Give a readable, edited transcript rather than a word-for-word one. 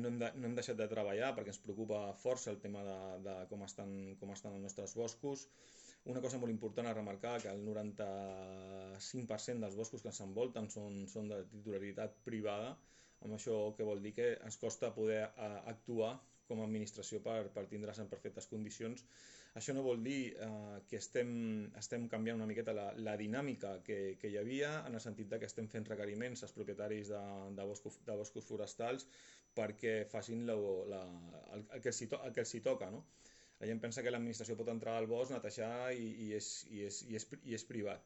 No hem deixat de treballar perquè ens preocupa força el tema de com estan els nostres boscos. Una cosa molt important a remarcar, que el 95% dels boscos que ens envolten són de titularitat privada, amb això que vol dir que ens costa poder actuar com a administració per tindre-les en perfectes condicions. Això no vol dir que estem canviant una miqueta la dinàmica que hi havia, en el sentit que estem fent requeriments als propietaris de boscos forestals perquè facin el que els hi toca, no? La gent pensa que l'administració pot entrar al bosc, netejar i és privat.